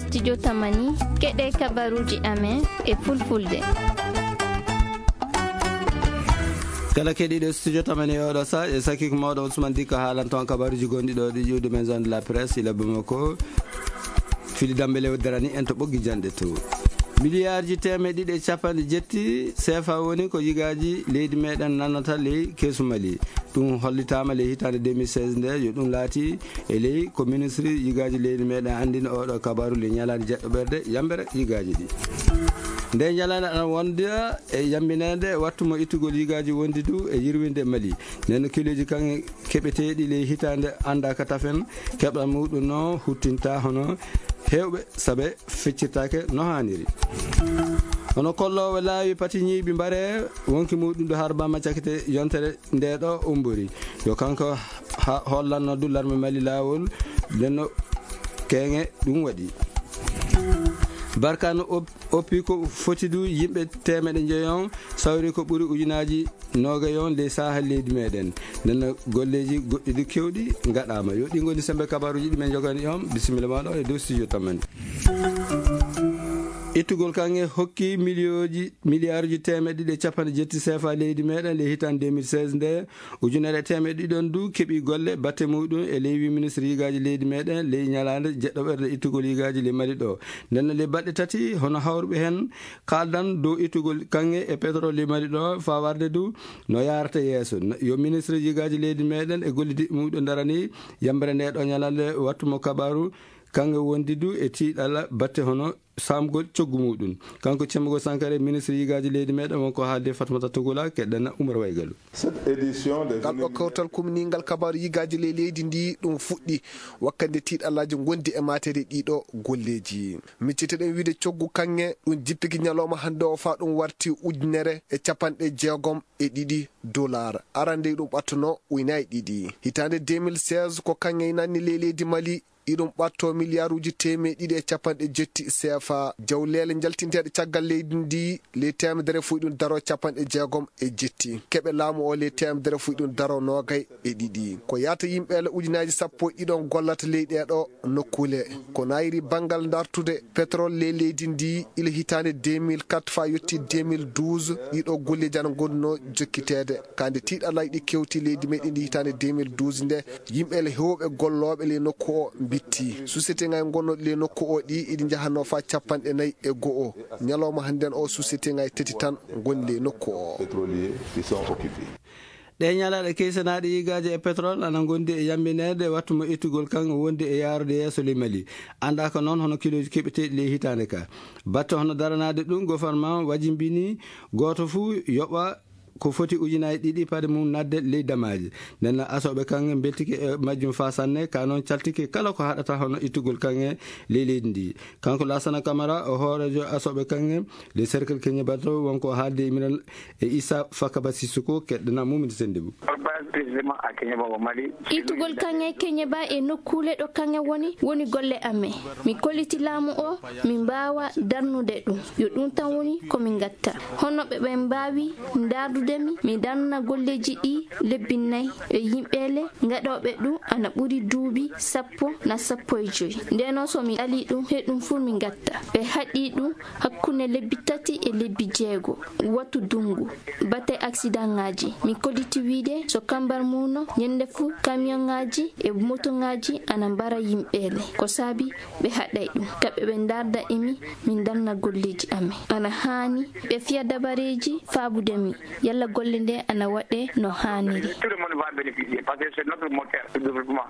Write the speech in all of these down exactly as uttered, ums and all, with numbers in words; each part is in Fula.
Studio Tamani, keɗe kabaruuji amen e fulfulde. Kala keɗiiɗo Studio Tamani e oɗo sa, e sakiko mawɗo Ousmane Dikko haalan toon kabaruuji gonɗi ɗo ɗi ƴuwde maison de la presse ila Bamako. Fili Dambe Lew darani en to ɓoggi janɗe to. Miliyaarji teemeɗe ɗiɗi e capanɗe jetti seefa woni ko yigaaji leydi meɗen nanata ley keesu Mali. Ɗum hollitaama ley hitaande deux mille seize nde, yo ɗum laati e ley ko ministre yigaaji leydi meɗen anndini oɗo kabaru ley ñalaande jeɗɗo ɓerde yambere yigaaji ɗi. Nde ñalaande ana wonda e yambineede wattu mo ittugol yigaaji wondi du e yirwinde Mali. Nden no kiloji kan keɓeteeɗi ley hitaande anndaaka tafen, keɓal muɗum no huttinta hono heewɓe sabe feccirtaake no haaniri. Hono kolloowo laawi pati ñiiɓi mbare wonki muɗum ɗo harbama cakite yontere nde ɗo umbori. Yo kanko ha-, hollanno du larme Mali laawol, ndenno keŋe ɗum waɗi. Barkano op-, oppi ko foti du yimɓe teemeɗe njeyon, sawri ko ɓuri ujunaaji noogay on ley saaha leydi meɗen. Ndenno golleji goɗɗi du kewɗi ngaɗama. Yo ɗi ngoni sembe kabaruji ɗi men jogani on. Bisimilla maɗo e dow studio tamani. Ittugol kanŋe hokki miliyooji, miliyaaruji teemeɗe ɗiɗi e capanɗe jetti seefa leydi meɗen ley hitaande deux mille seize nde. Ujunere e teemeɗe ɗiɗon du keɓi golle batte muɗum e ley wi ministre yigaaji leydi meɗen ley ñalaande jeɗɗo ɓerde ittugol yigaaji ley Mali ɗo. Nden ley baɗɗe tati hono hawruɓe hen kaldan dow ittugol kanŋe e pétrole ley Mali ɗo faa warde du no yaarata yeeso. N-, yo ministre yigaaji leydi meɗen e gollidiɓe muɗum darani yambere nde ɗo ñalaande wattu mo kabaru kanŋe wondi du e tiiɗalla batte hono samgol coggu muɗum. Kanko Cemmugol Sankare, ministre yigaaji leydi meɗen, wonko haalde Fatmata Tugula, keɗɗana Umar Waygalu. Cette édition des Ngal ɗo kawtal kumningal kabaaru yigaaji ley leydi ndi ɗum fuɗɗi wakkande tiiɗallaaji ngondi e maatere ɗiɗo golleeji. Micciteɗen wiide coggu kanŋe ɗum jippiki ñalawma hannde o faa ɗum warti ujunere e capanɗe jeegom e ɗiɗi dollar. Arande ɗum ɓattuno ujunaaji ɗiɗi. Hitaande deux mille seize ko kanŋe nanni ley leydi Mali iɗum ɓatto miliyaaruuji teemeɗe ɗiɗi e capanɗe jetti seefa. Jawleele njaltinteeɗe caggal leydi ndi, ley teemedere fuɗɗi ɗum daro capanɗe jeegom e jetti. Keɓe laamu o ley teemedere fuɗɗi ɗum daro noogay e ɗiɗi. Ko yaata yimɓeele ujunaaji sappo e ɗiɗon gollata ley ɗee ɗo nokkuule. Ko naayiri banngal dartude pétrole ley leydi ndi ila hitaande deux mille quatre faa yotti deux mille douze, ɗiɗo golleeji ana ngonnoo jokkiteede. Ka nde tiiɗallaaji ɗi kewti leydi meɗen ndi hitaande deux mille douze nde, yimɓe le heewɓe gollooɓe ley nokku o mbitti. Société ŋaaji gonnooɗi ley nokku o ɗi iɗi njahanoo faa capanɗe nayi e go'o. Ñalawma hannden o société ŋaaji tati tan ngoni ley nokku o. Pétroliers qui sont occupés. Ɗee ñalaaɗe keysanaaɗe yigaaji e pétrole ana ngondi e yambineede wattu mo ittugol kan wondi e yaarude yeeso ley Mali. Anndaaka noon hono kilooji keɓeteeɗi ley hitaande ka. Batte hono daranaade ɗum, gouvernement wajimbini gooto fuu yoɓa ko foti ujunaaji ɗiɗi paɗe mum nadde ley damaaji. Nden asooɓe kanŋe mbeltike e majjum faa sanne, ka noon caltike kala ko haɗata hono ittugol kanŋe ley leydi ndi. Kanko Laasana Kamara, o hooreejo asooɓe kanŋe ley cercle Keñe Bato, wonko haalde e minan e Issa Fakaba Sissoko, keɗɗana Mumini Sendebou. Ittugol kanŋe Keñe Ba e nokkuule ɗo kanŋe woni, woni golle amen. Mi kolliti laamu o, mi mbaawa darnude ɗum. Yo ɗum tan woni ko min ngatta. Hono ɓe ɓen mbaawi ndaardude mi, mi darna golleeji ɗi lebbi nayi e yimɓe le ngaɗooɓe ɗum ana ɓuri duuɓi sappo na sappo e joy. Ndeno so mi alii ɗum, he ɗum fuu mi ngatta. Ɓe haɗi ɗum hakkunde lebbi tati e lebbi jeego, wattu dungu. Batte aksidaŋaaji, mi kolliti wiide so kambar muuno, ñande fuu kamiyonŋaaji e motoŋaaji ana mbara yimɓe le. Ko saabi ɓe haɗay ɗum. Kamɓe ɓe ndaarda e mi, min darna golleeji amen. Ana haani ɓe fiya dabareeji faabude mi, yalla golle nde ana waɗe no haaniri. Tout le monde va bénéficier parce que c'est notre moteur de développement.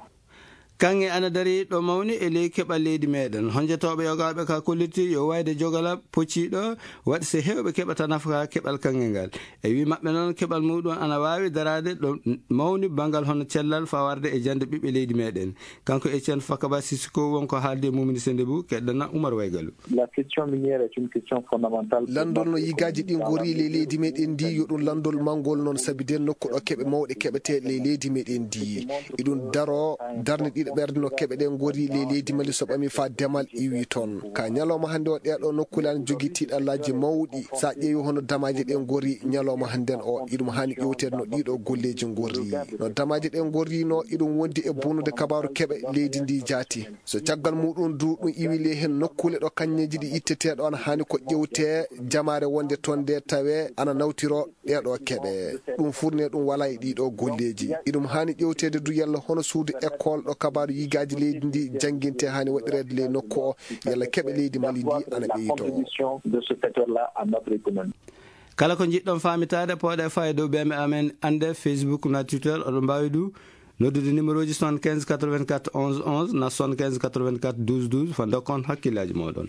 Kanŋe ana dari ɗo mawni e ley keɓal leydi meɗen. Honjotooɓe yogaaɓe ka kolliti yo wayde jogala pocciiɗo waɗi se heewɓe keɓata nafa ka keɓal kanŋe ngal. E wi maɓɓe noon, keɓal muɗum ana waawi daraade ɗo mawni banngal hono cellal fawarde e jannde ɓiɓɓe leydi meɗen. Kanko Etienne Fakaba Sissoko wonko haalde Mumini Sendebou, keɗɗana Umar Waygalu. La question minière est une question fondamentale pour Lanndol no notre yigaaji ɗi économie. Ngori ley leydi meɗen ndi, yo ɗum lanndol manngol noon, sabi nden nokku ɗo keɓe mawɗe keɓetee ley leydi meɗen ndi. Iɗum daro darnde ɗiɗo Ɓerde no keɓe ɗe ngorri ley leydi Mali so ɓami faa demal iwi toon. Ka ñalawma hannde o, ɗee ɗoo nokkuule ana jogii tiiɗallaaji mawɗi. So a ƴeewi hono damaaje ɗe ngorri ñalawma hannden o, iɗum haani ƴeewteede no ɗii ɗoo golleeji ngorri. No damaaje ɗe ngorri no, iɗum wondi e bonnude kabaaru keɓe leydi ndi jaati. So caggal muuɗum du, ɗum iwi ley heen nokkuule ɗo kañeeji ɗi ittetee ɗo, ana haani ko ƴeewtee jamaare wonde toon nde tawee ana nawtiro ɗee ɗoo keɓe. Ɗum furnee ɗum walaa e ɗii ɗoo golleeji. Iɗum haani ƴeewteede du yalla hono suudu école ɗo kabaaru yigaaji leydi ndi janngintee haani waɗireede ley nokku o, yalla keɓe leydi Mali ndi ana ɓeytoo. Kala ko njiɗɗon faamitaade, pooɗee faa e dow ɓeɓe amen annde Facebook na Twitter, oɗon mbaawi du noddude numéro ji soixante-quinze quatre-vingt-quatre onze onze na soixante-quinze quatre-vingt-quatre douze douze, faa ndokkon hakkillaaji mooɗon.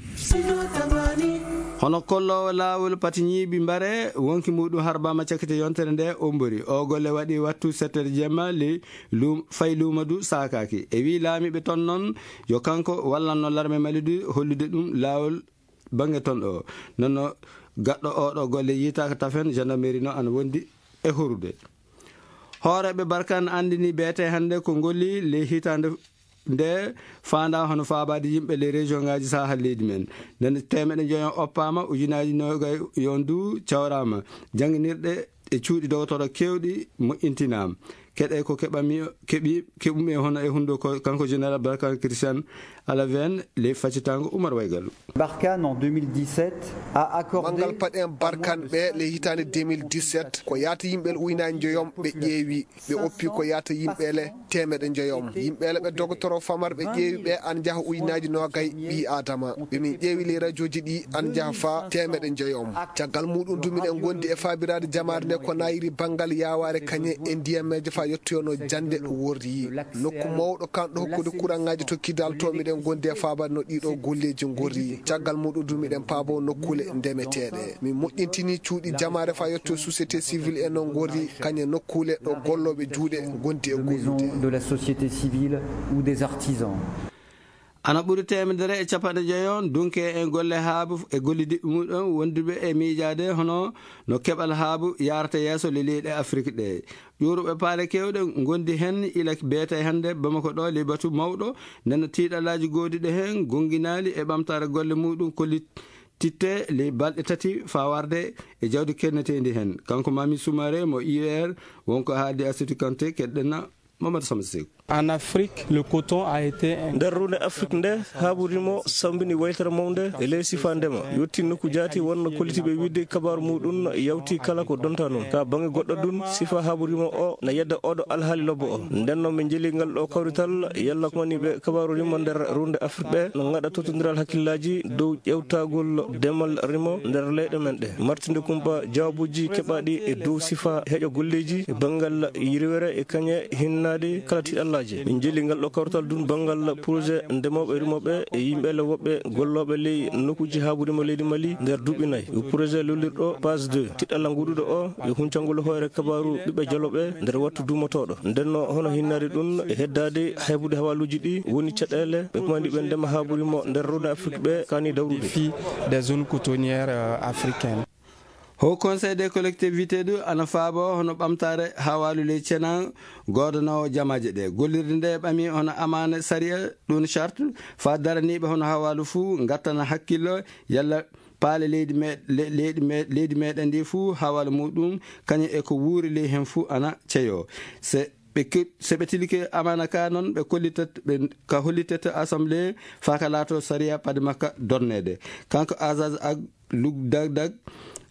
Hono kolloowo laawol pati ñiiɓi mbare, wonki muuɗum harbaama cakkite yontere nde ombori. O golle waɗi wattu sept heures jemma, li-, luum-, fay luuma du saakaaki. E wii laamiiɓe toon noon, yo kanko wallanno larme Mali du hollude ɗum laawol bannge toon ɗo. Noon no gaɗɗo oo ɗoo golle yiytaaka tafen, gendarmerie no ana wondi e horude. Hooreeɓe Barkan anndini beete hannde ko ngolli ley hitaande nde faandaa hono faabaade yimɓe ley région ngaaji Sahel leydi men. Nden teemeɗe njoyo oppaama, ujunaaji noogay yon du cawraama. Jannginirɗe e cuuɗi dogotoro keewɗi moƴƴintinaama. Keɗe ko keɓami, keɓi, keɓumi e hono e hundo ko kanko général Barkan Christian Alaven ley faccitango Oumar Waygalu. Barkhane en deux mille dix-sept a accordé Manngal paɗen Barkan ɓe ley hitaande deux mille dix-sept, ko yaata yimɓe le ujunaaji njoyom ɓe ƴeewi, ɓe oppi ko yaata yimɓe le teemeɗe njoyom. Yimɓe le ɓe dogotoro famar ɓe ƴeewi ɓe ana njaha ujunaaji noogay ɓii Aadama. Ɓe min ƴeewi ley rajooji ɗi ana njaha faa teemeɗe njoyom. Caggal muuɗum du miɗen ngondi e faabiraade jamaare nde ko nayiri banngal yaawaare kañe e ndiyammeeje faa yottoyono jannde worri. Nokku mawɗo kanɗo hokkude kuraŋaaji to Kidal to miɗen ngondi e faabaade no ɗii ɗoo golleeji ngorri. Caggal muuɗum du miɗen paabo nokkuule ndemeteeɗe. Min moƴƴintini cuuɗi jamaare faa yotto société civile e no ngorri kañe nokkuule ɗo gollooɓe juuɗe ngondi e de gollude. Maisons de la société civile ou des artisans. Ana ɓuri teemedere e capanɗe jeyo dunke e golle haabu e gollidi muɗum wonduɓe e miijaade hono no keɓal haabu yaarata yeeso le leyɗe Afrik ɗe. Ƴuuruɓe paale keewɗe ngondi heen ila beete hannde Bamako ɗo ley batu mawɗo, nden tiiɗalaaji goodiɗe heen gonginaali e ɓamtaare golle muɗum kollititte ley balɗe tati faa warde e jawdi kenneteendi heen. Kanko Mami Soumaré mo I E R, wonko haaldi Asetu Kanté, keɗɗen na Mamadou Samba Seck. En Afrique, le coton a été un Nder runde Afrik nde, haabu rimo sambini waytere mawnde e ley sifa ndema. Yotti nokku jaati wonno kollitiiɓe wiide kabaaru muɗum yawti kala ko donta noon. Ka baŋnge goɗɗo dun, sifa haabu rimo o na yedda oɗo alhaali lobbo o. Nden noon min njeli ngal ɗo kawrital, yalla ko woni ɓe kabaaru rimo nder runde Afrik ɓe, no ngaɗa tottondiral hakkillaaji dow ƴewtagol demal rimo nder leyɗe men ɗe. Martinde kumpa jawaabuuji keɓaaɗi e dow sifa heƴo golleeji e banngal yirwere e kañe hinnaade kala tiiɗallaaji. Min njeli ngal ɗo kawrital dun banngal projet ndemooɓe rimooɓe e yimɓe le woɓɓe gollooɓe ley nokkuuji haabu rimo leydi Mali nder duuɓi nayi. Ko projet lollirɗo phase deux. Tiiɗalla nguuɗuɗo o e huncangol hoore kabaaru ɓiɓɓe joloɓe nder wattu duumotooɗo. Nden no hono hinnaade ɗun e heddaade haybude hawaaluuji ɗi woni caɗeele ɓe pamani ɓe ndema haabu rimo nder runde Afrik ɓe kaani dawrude. Défi des zones cotonnières, euh, africaines. Haut Conseil des collectivités du ana faabo hono ɓamtaare hawaalu ley cena goodanoowo jamaaje ɗe. Gollirde nde ɓami hono amaana sariya ɗum charte faa daraniiɓe hono hawaalu fuu ngattana hakkillo yalla paale leydi me-, le-, leydi me-, leydi meɗen ndi fuu hawaalu muɗum kañum e ko wuuri ley heen fuu ana ceyo. Se ɓe ke-, se ɓe tilike amaana ka noon ɓe kollitat, ɓe ka hollitet assemblée faa ka laato sariya paɗi makka dorneede. Kanko Azaz Ag Lug Dag Dag,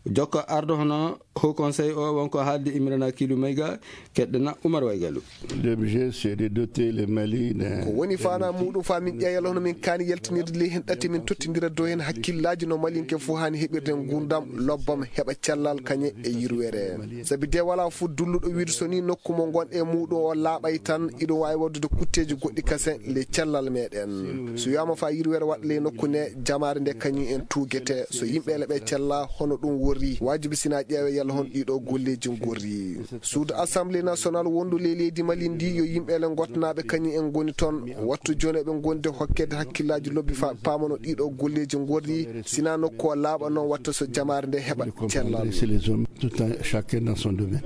jokko ardo hono Haut Conseil o, wonko haaldi Imrana Kilu Mayga, keɗɗena Umar Waygalu. L'objet, c'est de doter le Mali d'un Ko woni faanaa muɗum faa min ƴeewa yalla hono min kaani yaltinirde ley heen ɗate, min tottindira dow heen hakkillaaji no Malinke fof haani heɓirde nguurndam lobbam, heɓa cellal kañe e yirwere. Sabi de walaa fof dulluɗo wiide so nii nokku mo ngonɗe e muɗum o laaɓay tan, iɗum waawi waɗdude kutteeji goɗɗi kasen ley cellal meɗen. So wiyaama faa yirwere waɗa ley nokku ne, jamaare nde kañum en tuugete. So yimɓe le ɓe cella, hono ɗum worri, waajibi sinaa ƴeewe yalla hono ɗii ɗoo golleeji ngorri. Suudu Assemblée nationale wondu ley leydi Mali ndi, yo yimɓe le ngottanaaɓe kañum en ngoni toon. Wattu jooni eɓe ngondi hokkeede hakkillaaji lobbi faa ɓe paama no ɗii ɗoo golleeji ngorri, sinaa nokku o laaɓa noon watta so jamaare nde heɓa cellal. Laisser les hommes, tout un, chacun dans son domaine.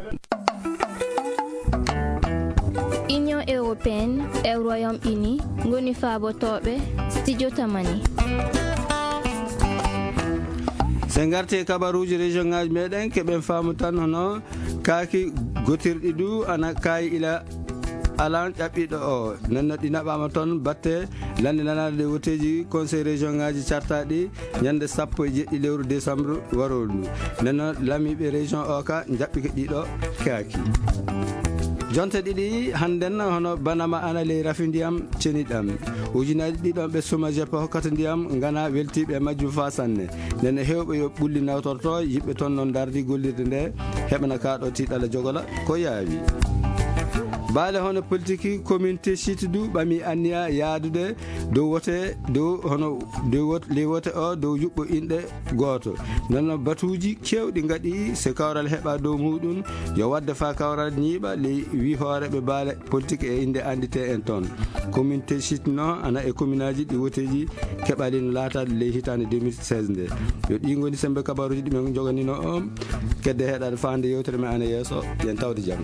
Union Européenne e Royaume-Uni ngoni faabotooɓe studio Tamani. Se ngarte kabaruuji région ŋaaji meɗen, keɓen faamu tan hono kaaki gotirɗi du ana kaayi ila alan ƴaɓɓiɗo o. Nenno ɗi naɓaama toon batte lannde nanaade ɗe woteeji conseil région ŋaaji cartaaɗi ñande sappo e jeɗɗi lewru décembre waroru ndu. Nenno lamiiɓe région o ka njaɓɓi ko ɗiɗo kaaki. Jonte ɗiɗi hannden hono banama ana ley rafi ndiyam ceniɗam. Ujunaaji ɗiɗon ɓe suma jeppe hokkata ndiyam ngana weltiiɓe e majjum faa sanne. Nene heewɓe yo ɓulli nawtorto yiɓɓe toon noon dardi gollirde nde heɓana kaaɗo tiiɗala jogola ko yaawi. Baale hono politiki commune Teshit du ɓami anniya yaadude dow wote dow hono dow wot-, ley wote o dow yuɓɓo inɗe gooto. Noon batuuji keewɗi ngaɗi se kawral heɓa dow muɗum yo wadde faa kawral ñiiɓa ley wi hooreɓe baale politique e innde anndite en toon. Commune Teshit no ana e communeaji ɗi woteeji keɓali no laataade ley hitaande deux mille seize nde. Yo ɗi ngoni sembe kabaruuji ɗi men joganino on. Kedde heɗaade faande yewtere men ana yeeso. Yen tawde jam.